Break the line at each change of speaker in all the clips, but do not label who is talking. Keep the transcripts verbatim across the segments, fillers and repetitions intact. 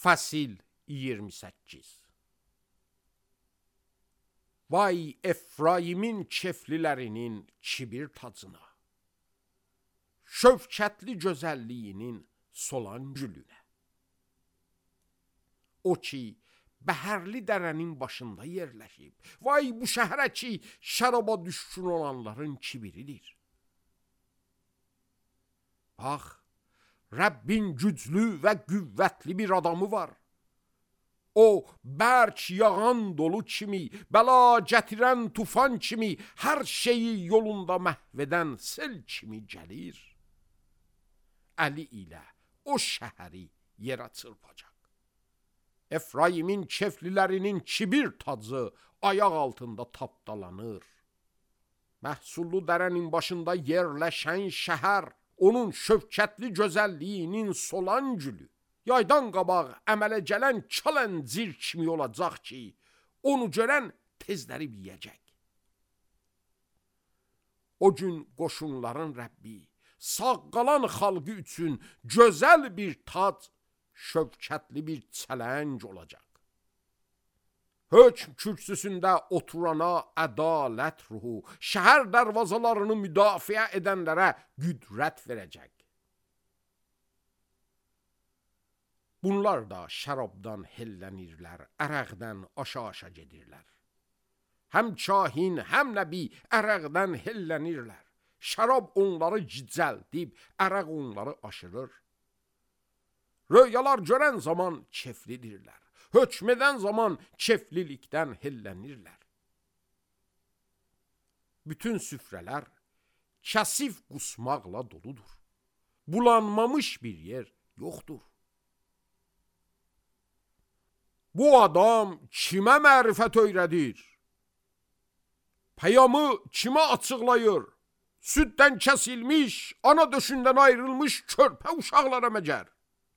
Fəsil iyirmi səkkiz. Vay Efraimin keflilərinin kibir tacına, şövkətli gözəlliyinin solan gülünə. O ki, bəhərli dərənin başında yerləşib, vay bu şəhərə ki, şəraba düşkün olanların kibiridir. Bax, Rəbbin güclü və qüvvətli bir adamı var. O, bərk yağan dolu kimi, bəla gətirən tufan kimi, hər şeyi yolunda məhv edən sel kimi gəlir. Əli ilə o şəhəri yerə çırpacaq. Efraimin keflilərinin kibir tacı ayaq altında tapdalanır. Məhsullu dərənin başında yerləşən şəhər, onun şövkətli gözəlliyinin solan gülü, yaydan qabaq əmələ gələn kələncir kimi olacaq ki, onu görən tezləri yiyəcək. O gün qoşunların Rəbbi, sağ qalan xalqı üçün gözəl bir tac, şövkətli bir çələng olacaq. Hökm kürsüsündə oturana ədalət ruhu, şəhər dərvazalarını müdafiə edənlərə qüdrət verəcək. Bunlar da şərabdan hellənirlər, ərəqdən aşa-aşa gedirlər. Həm kahin, həm nəbi ərəqdən hellənirlər. Şərab onları gicəldib, ərəq onları aşırır. Röyalar görən zaman keflidirlər. Hökm edən zaman keflilikdən hellənirlər. Bütün süfrələr kəsif qusmaqla doludur. Bulanmamış bir yer yoxdur. Bu adam kimə mərifət öyrədir? Peyamı kimə açıqlayır? Süddən kəsilmiş, ana döşündən ayrılmış körpə uşaqlara məcər.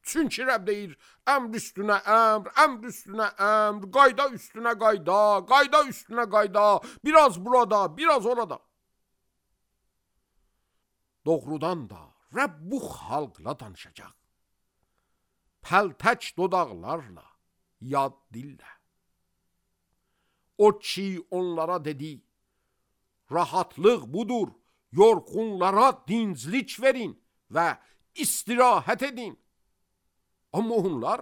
Çünki Rəbb deyir, əmr üstünə əmr, əmr üstünə əmr, qayda üstünə qayda, qayda üstünə qayda, biraz burada, biraz orada. Doğrudan da Rəbb bu xalqla danışacaq. Pəltək dodaqlarla, yad dillə. O ki onlara dedi, rahatlıq budur, yorğunlara dinclik verin və istirahət edin. Amma onlar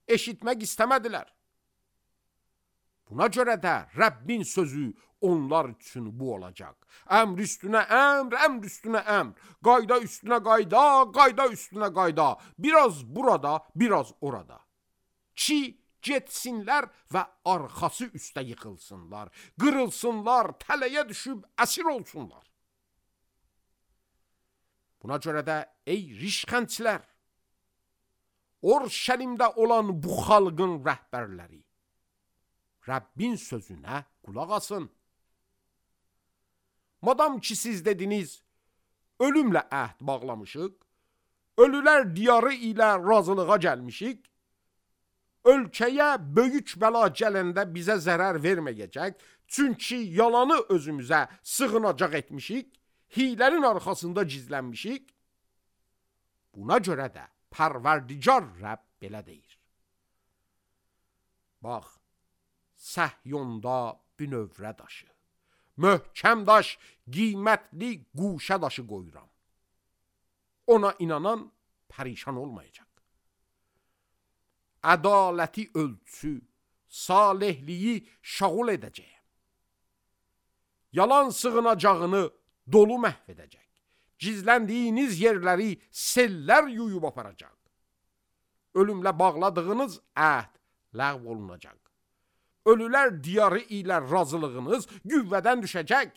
eşitmək istəmədilər. Buna görə də Rəbbin sözü onlar üçün bu olacaq. Əmr üstünə əmr, əmr üstünə əmr, qayda üstünə qayda, qayda üstünə qayda, biraz burada, biraz orada. Ki getsinlər və arxası üstə yıxılsınlar, qırılsınlar, tələyə düşüb əsir olsunlar. Buna görə də ey rişxəndçilər, Orşəlimdə olan bu xalqın rəhbərləri, Rəbbin sözünə qulaq asın. Madam ki siz dediniz, ölümlə əhd bağlamışıq, ölülər diyarı ilə razılığa gəlmişik, ölkəyə böyük bəla gələndə bizə zərər verməyəcək, çünki yalanı özümüzə sığınacaq etmişik, hilərin arxasında gizlənmişik. Buna görə də Pərverdigar Rəbb belə deyir. Bax, Səhyonda bünövrə daşı, möhkəm daş, qiymətli quşə daşı qoyuram. Ona inanan pərişan olmayacaq. Ədaləti ölçü, salihliyi şağul edəcəyəm. Yalan sığınacağını dolu məhv edəcək. Gizləndiyiniz yerləri sellər yuyub aparacaq. Ölümlə bağladığınız əhd ləğv olunacaq. Ölülər diyarı ilə razılığınız qüvvədən düşəcək.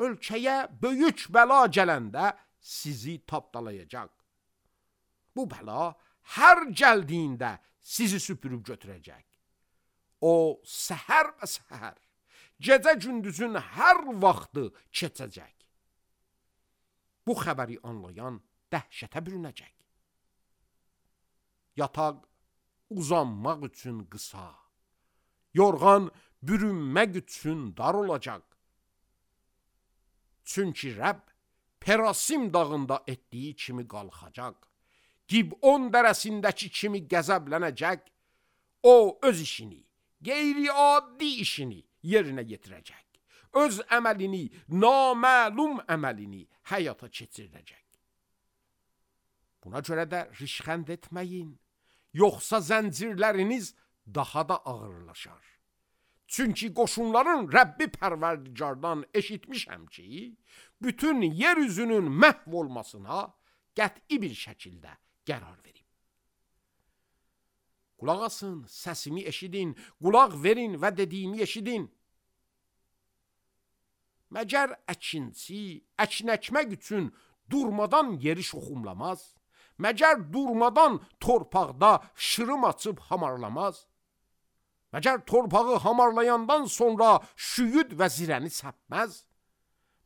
Ölkəyə böyük bəla gələndə sizi tapdalayacaq. Bu bəla hər gəldiyində sizi süpürüb götürəcək. O səhər və səhər, gecə gündüzün hər vaxtı keçəcək. Bu xəbəri anlayan dəhşətə bürünəcək. Yataq uzanmaq üçün qısa, yorğan bürünmək üçün dar olacaq. Çünki Rəbb Perasim dağında etdiyi kimi qalxacaq. Gibon dərəsindəki kimi qəzəblənəcək, o öz işini, qeyri-adi işini yerinə yetirəcək. Öz əməlini, naməlum əməlini həyata keçirdəcək. Buna görə də rişxənd etməyin, yoxsa zəncirləriniz daha da ağırlaşar. Çünki qoşunların Rəbbi Pərverdigardan eşitmişəm ki, bütün yer üzünün məhv olmasına qəti bir şəkildə qərar verib. Qulaq asın, səsimi eşidin, qulaq verin və dediyimi eşidin. Məgər əkinçi, əkin əkmək üçün durmadan yeri şoxumlamaz? Məgər durmadan torpaqda şırım açıb hamarlamaz? Məgər torpağı hamarlayandan sonra şüyüd və zirəni səpməz?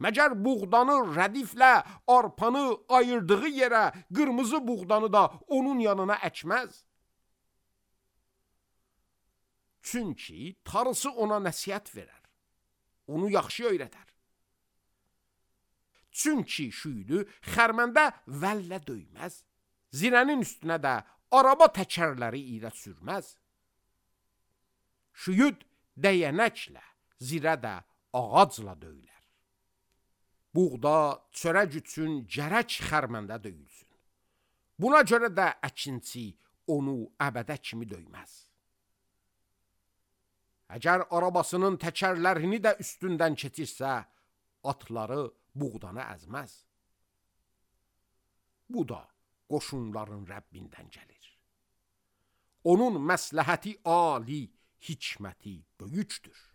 Məgər buğdanı rədiflə arpanı ayırdığı yerə qırmızı buğdanı da onun yanına əkməz? Çünki tarısı ona nəsihət verər, onu yaxşı öyrədər. Çünki şüydü xərməndə vəllə döyməz, zirənin üstünə də araba təkərləri ilə sürməz. Şüyüd dəyənəklə, zirə də ağacla döyülər. Buğda, çörək üçün gərək xərməndə döyülsün. Buna görə də əkinçi onu əbədə kimi döyməz. Əgər arabasının təkərlərini də üstündən keçirsə, atları buğdanı əzməz. Bu da qoşunların Rəbbindən gəlir. Onun məsləhəti ali, hikməti böyükdür.